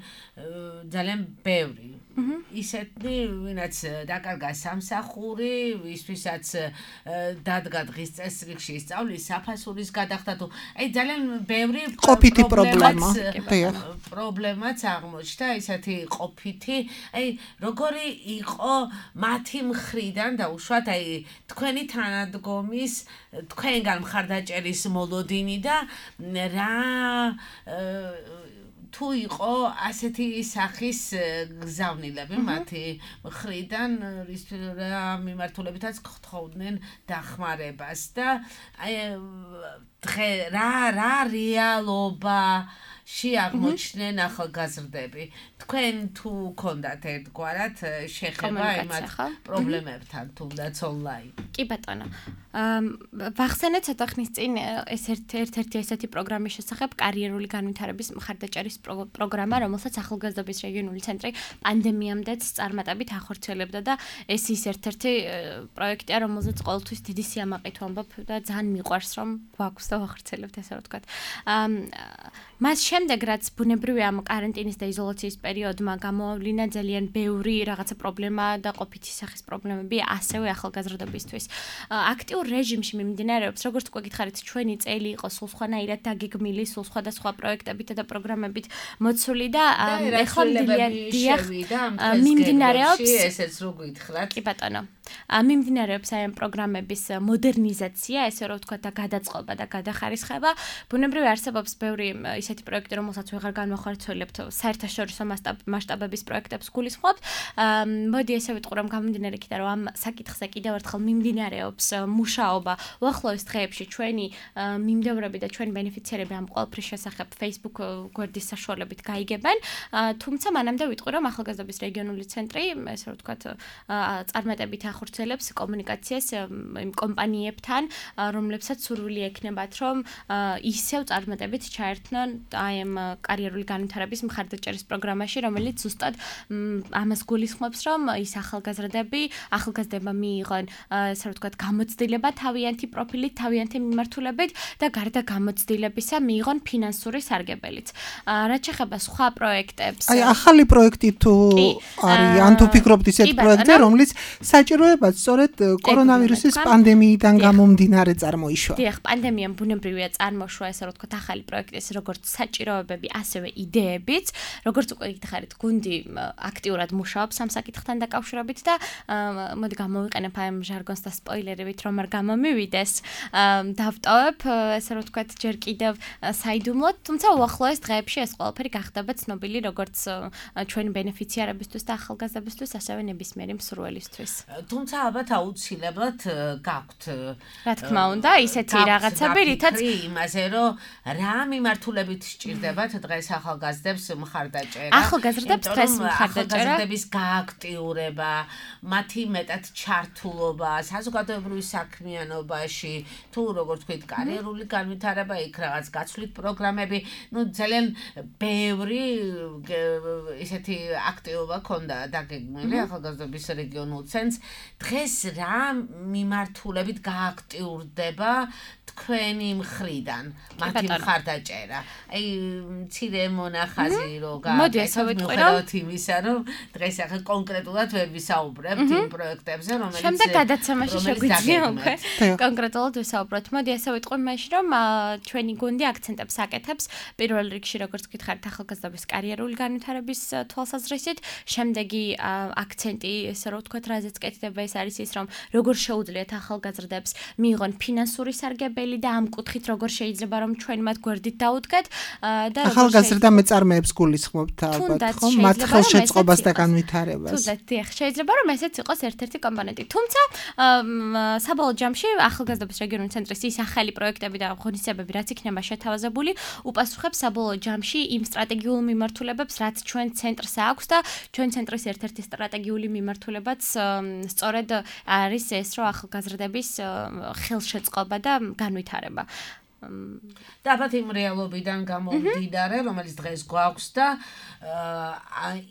B: ძალიან ბევრი. ისეთნი, ვინაც დაკარგა სამსახური, ვისთვისაც დადგა დღის წესრიგში სწავლის საფასურის გადახდა თუ აი ძალიან ბევრი
C: ყოფითი პრობლემა.
B: პრობლემაც აღმოჩნდა, ისეთი ყოფითი, აი როგორი იყო მათი მხრიდან და უშუალოდ აი თქვენი თანადგომის თქვენგან მხარდაჭერის მოლოდინი და რა თუ იყო ასეთი სახის გზავნილები მათი მხრიდან, რა მიმართულებითაც გთხოვდნენ დახმარებას და აი დღე რა რა რეალობა შეაღმოჩნდნენ ახალგაზრდები. თქვენ თუ გქონდათ ერთგვარად შეხება იმათ პრობლემებთან თუნდაც ონლაინ.
D: კი ბატონო. ვახსენეთ ცოტა ხნის წინ ეს ერთ-ერთი ესეთი პროგრამის შესახებ კარიერული განვითარების მხარდაჭერის პროგრამა, რომელსაც ახალგაზრდობის რეგიონული ცენტრი პანდემიამდეც წარმატებით ახორციელებდა და ეს ის ერთ-ერთი პროექტია, რომელზეც ყოველთვის დიდი სიამაყით ვამბობ და ძალიან მიყვარს რომ გვაქვს და ვახორციელებთ ესე რომ ვთქვათ. მას შემდეგ რაც ბუნებრივია ამ კარანტინის და იზოლაციის პერიოდმა გამოავლინა ძალიან ბევრი რაღაცა პრობლემა და ყოფითი სახის პრობლემები ასევე ახალგაზრდობისთვის. აქტიურ რეჟიმში მიმდინარეობს, როგორც უკვე გითხარით, ჩვენი წელი იყო სულ სხვანაირად დაგეგმილი, სულ სხვადასხვა პროექტებით და პროგრამებით მოცული და ეხლა მიმდინარეობს
B: ესეც რო გითხრათ.
D: კი ბატონო. მიმდინარეობს აი ამ პროგრამების მოდერნიზაცია, ესე რომ ვთქვათ და გადაწყობა და გადახარისხება. ბუნებრივია არსებობს ბევრი ისეთი პროექტი, რომელსაც ვეღარ განვახორციელებთ, საერთაშორისო მასშტაბების პროექტებს გულისხმობთ. მოდი ესე ვიტყვი რომ გამომდინარე იქიდან რომ ამ საკითხზე კიდევ ერთხელ მიმდინარეობს მუშაობა. უახლოეს დღეებში ჩვენი მიმდევრები და ჩვენი ბენეფიციარები ამ ყველაფრის შესახებ Facebook გვერდის საშუალებით გაიგებენ. თუმცა მანამდე ვიტყვი რომ ახალგაზრდობის რეგიონული ცენტრი, ესე რომ ვთქვათ, წარმატებით ახორციელებს კომუნიკაციას იმ კომპანიებთან, რომლებსაც სურვილი ექნებათ, რომ ისევ წარმატებით ჩაერთონ აი ამ კარიერული განვითარების მხარდაჭერის პროგრამაში, რომელიც ზუსტად ამას გულისხმობს, რომ ის ახალგაზრდები, ახალგაზრდებმა მიიღონ, ესე რომ ვთქვათ, გამოცდილება თავიანთი პროფილით, თავიანთი მიმართულებით და გარდა გამოცდილებისა მიიღონ ფინანსური სარგებელიც. რაც შეეხება სხვა პროექტებს,
C: აი ახალი პროექტი თუ არის, ან თუ ფიქრობთ ისეთ პროექტზე, რომელიც საჭიროებად სწორედ კორონავირუსის პანდემიიდან გამომდინარე წარმოიშვა.
D: დიახ, პანდემიამ ბუნებრივია წარმოშვა, ესე რომ ვთქვათ, ახალი პროექტის როგორც საჭიროებები, ასევე იდეებიც, როგორც უკვე გითხარით, გუნდი აქტიურად მუშაობს ამ საკითხთან დაკავშირებით და მოდი გამოვიყენებ აი ამ ჟარგონს და სპოილერებით, რომ არ გამომივიდეს. დავტოვებ, ესე რომ ვთქვათ, ჯერ კიდევ საიდუმლოდ, თუმცა უახლოეს დღეებში ეს ყველაფერი გახდება ცნობილი როგორც ჩვენი ბენეფიციარებისთვის და ახალგაზრდებისთვის, ასევე ნებისმიერი მსურველისთვის.
B: თუმცა ალბათ აუცილებლად გაქვთ
D: რა თქმა უნდა ისეთი რაღაცები, რითაც
B: იმაზე რომ რა მიმართულებით სჭირდებათ დღეს ახალგაზრდებს მხარდაჭერა.
D: ახალგაზრდებს დღეს მხარდაჭერა,
B: ახალგაზრდების გააქტიურება, მათი მეტად ჩართულობა საზოგადოებრივ საქმიანობაში, თუ როგორ თქვით, კარიერული განვითარება, იქ რაღაც გაცვლით პროგრამები, ну ძალიან ბევრი ისეთი აქტივობა ქონდა დაგეგმილი ახალგაზრდობის რეგიონულ ცენტრს. დღეს რა მიმართულებით გააქტიურდება თქვენი მხრიდან მათი მხარდაჭერა? აი მცირე მონახაზი რო გააკეთოთ იმისა, რომ დღეს ახლა კონკრეტულად ვერ ვისაუბრებთ იმ პროექტებზე, რომელიც
D: შემდეგ გადაცემაში შეგვიძლია უკვე კონკრეტულად ვისაუბროთ. მოდი ასე ვიტყვი მაშინ, რომ ჩვენი გუნდი აქცენტებს აკეთებს პირველ რიგში, როგორც გითხარით, ახალგაზრდობის კარიერული განვითარების თვალსაზრისით, შემდეგი აქცენტი, ესე რომ ვთქვათ, რაზეც კეთდება, ეს არის ის, რომ როგორ შეუძლიათ ახალგაზრდებს მიიღონ ფინანსური სარგებელი და ამ კუთხით როგორ შეიძლება რომ ჩვენ მათ გვერდით დაუდგეთ და
C: ახალგაზრდა მეწარმეებს გულისხმობთ ალბათ, ხო? მათ ხელშეწყობას და განვითარებას.
D: თუნდაც, დიახ, შეიძლება რომ ესეც იყოს ერთ-ერთი კომპონენტი. თუმცა საბოლოო ჯამში ახალგაზრდობის რეგიონული ცენტრის ის ახალი პროექტები და ღონისძიებები, რაც იქნება შეთავაზებული, უპასუხებს საბოლოო ჯამში იმ სტრატეგიულ მიმართულებებს, რაც ჩვენ ცენტრს აქვს და ჩვენ ცენტრის ერთ-ერთი სტრატეგიული მიმართულებაც სწორედ არის ეს, რომ ახალგაზრდების ხელშეწყობა და განვითარება.
B: და ალბათ იმ რეალობიდან გამომდინარე, რომელიც დღეს გვაქვს და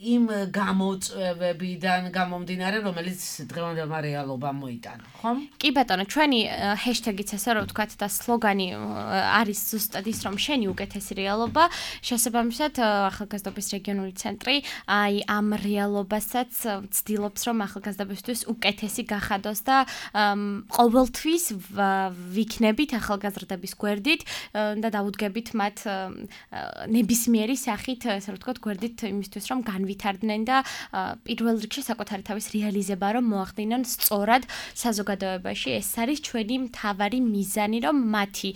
B: იმ გამოწვევებიდან გამომდინარე, რომელიც დღევანდელმა რეალობამ მოიტანა, ხო?
D: კი ბატონო, ჩვენი ჰეშტეგიც ესე რომ ვთქვათ და სლოგანი არის ზუსტად ის, რომ შენი უკეთესი რეალობა, შესაბამისად ახალგაზრდობის რეგიონული ცენტრი აი ამ რეალობასაც ვცდილობს, რომ ახალგაზრდებისთვის უკეთესი გახადოს და ყოველთვის ვიქნებით ახალგაზრდების გვერდით და დაუდგებით მათ ნებისმიერი სახით, ასე რომ ვთქვათ, გვერდით იმისთვის, რომ განვითარდნენ და პირველ რიგში საკუთარი თავის რეალიზება რომ მოახდინონ სწორად საზოგადოებაში. ეს არის ჩვენი მთავარი მიზანი, რომ მათი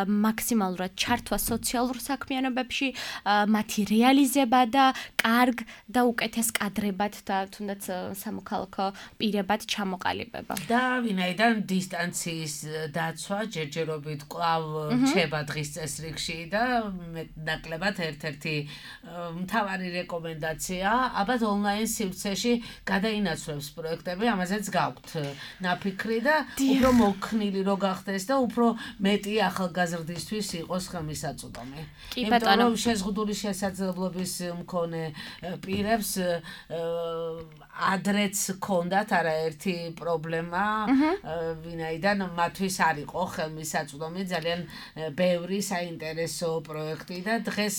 D: მაქსიმალურად ჩართვა სოციალურ საქმიანობებში, მათი რეალიზება და კარგ და უკეთეს კადრებად და თუნდაც სამოქალაქო პირებად ჩამოყალიბება.
B: და ვინაიდან დისტანციის დაცვა ჯერჯერობით კვლავ რჩება დღის წესრიგში და ნაკლებად ერთ-ერთი მთავარი რეკომენდაცია, ალბათ ონლაინ სივრცეში გადაინაცვლებს პროექტები, ამაზეც გაქვთ ნაფიქრი და უფრო მოქნილი რო გახდეს და უფრო მეტი ახალგაზრდისთვის იყოს ხელმისაწვდომი. იმიტომ რომ შეზღუდული შესაძლებლობის მქონე პირებს ადრეც ჰქონდათ არაერთი პრობლემა, ვინაიდან მათთვის არ იყო ხელმისაწვდომი ძალიან ბევრი საინტერესო პროექტი და დღეს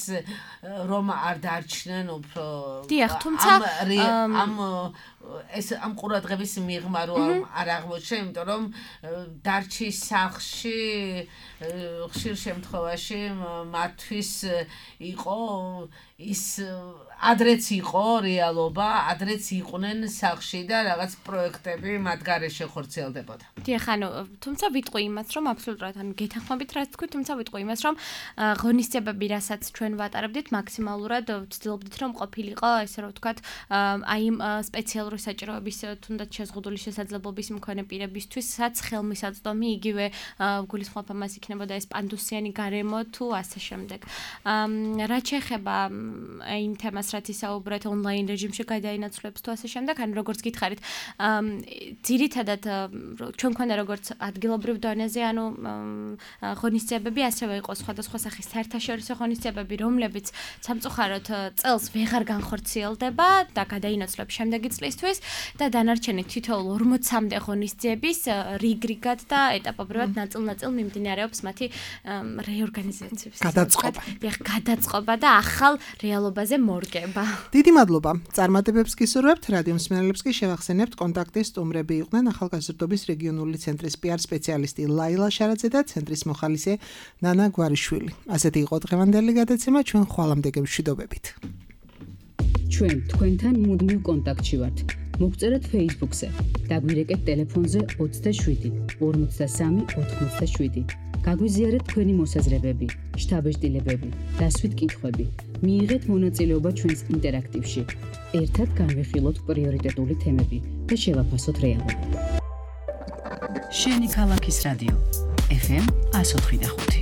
B: რომ არ დარჩნენ უფრო
D: დიახ, თუმცა
B: ამ ეს ამ ყურადღების მიღმა რო არ აღმოჩნდა, იმიტომ რომ დარჩის სახლში ხშირ შემთხვევაში მათთვის იყო ის ადრეც იყო რეალობა, ადრეც იყვნენ სახლში და რაღაც პროექტები მათ გარეშე ხორციელდებოდა.
D: დიახ, ანუ თუმცა ვიტყვი იმას, რომ აბსოლუტურად ანუ გეთანხმებით რაც თქვი, თუმცა ვიტყვი იმას, რომ ღონისძიებები, რასაც ჩვენ ვატარებდით, მაქსიმალურად ვცდილობდით, რომ ყოფილიყო, ესე რომ ვთქვათ, აი იმ სპეციალური საჭიროების თუნდაც შეზღუდული შესაძლებლობის მქონე პირებისთვის, რაც ხელმისაწვდომი იგივე გულისხმობ ამას იქნებოდა ეს პანდუსიანი გარემო თუ ასე შემდეგ. რაც შეეხება იმ თემას, რაც ისაუბრეთ ონლაინ რეჟიმში გადაინაცვლებს თუ ასე შემდეგ, ანუ როგორც გითხარით, ძირითადად ჩვენ გვქონდა როგორც ადგილობრივ დონეზე, ანუ ღონისძიებები, ასევე იყო სხვადასხვა სახის საერთაშორისო ღონისძიებები, რომლებიც სამწუხაროდ წელს ვეღარ განხორციელდება და გადაინაცვლებს შემდეგი წლისთვის და დანარჩენი თითოეულ ორმოცამდე ღონისძიების რიგ-რიგად და ეტაპობრივად ნაწილ-ნაწილ მიმდინარეობს მათი რეორგანიზაციის
C: გადაწყობა.
D: დიახ, გადაწყობა და ახალ რეალობაზე მორგება.
C: დიდი მადლობა. წარმატებებს გისურვებთ. რადიო მსმენელებს კი შევახსენებთ კონტაქტის სტუმრები იყვნენ ახალგაზრდობის რეგიონული ცენტრის პი არ სპეციალისტი ლაილა შარაძე და ცენტრის მოხალისე ნანა გვარიშვილი. ასეთი იყო დღევანდელი გადაცემა, ჩვენ ხვალამდე გემშვიდობებით.
A: ჩვენ თქვენთან მუდმივ კონტაქტში ვართ. მოგწერეთ Facebook-ზე. დაგვირეკეთ ტელეფონზე ოცდაშვიდი ორმოცდასამი ოთხმოცდაშვიდი. გაგვიზიარეთ თქვენი მოსაზრებები, შთაბეჭდილებები, დასვით კითხვები. მიიღეთ მონაწილეობა ჩვენს ინტერაქტივში. ერთად განვიხილოთ პრიორიტეტული თემები და შევაფასოთ რეალობა. შენი ქალაქის რადიო ეფ ემ one oh five.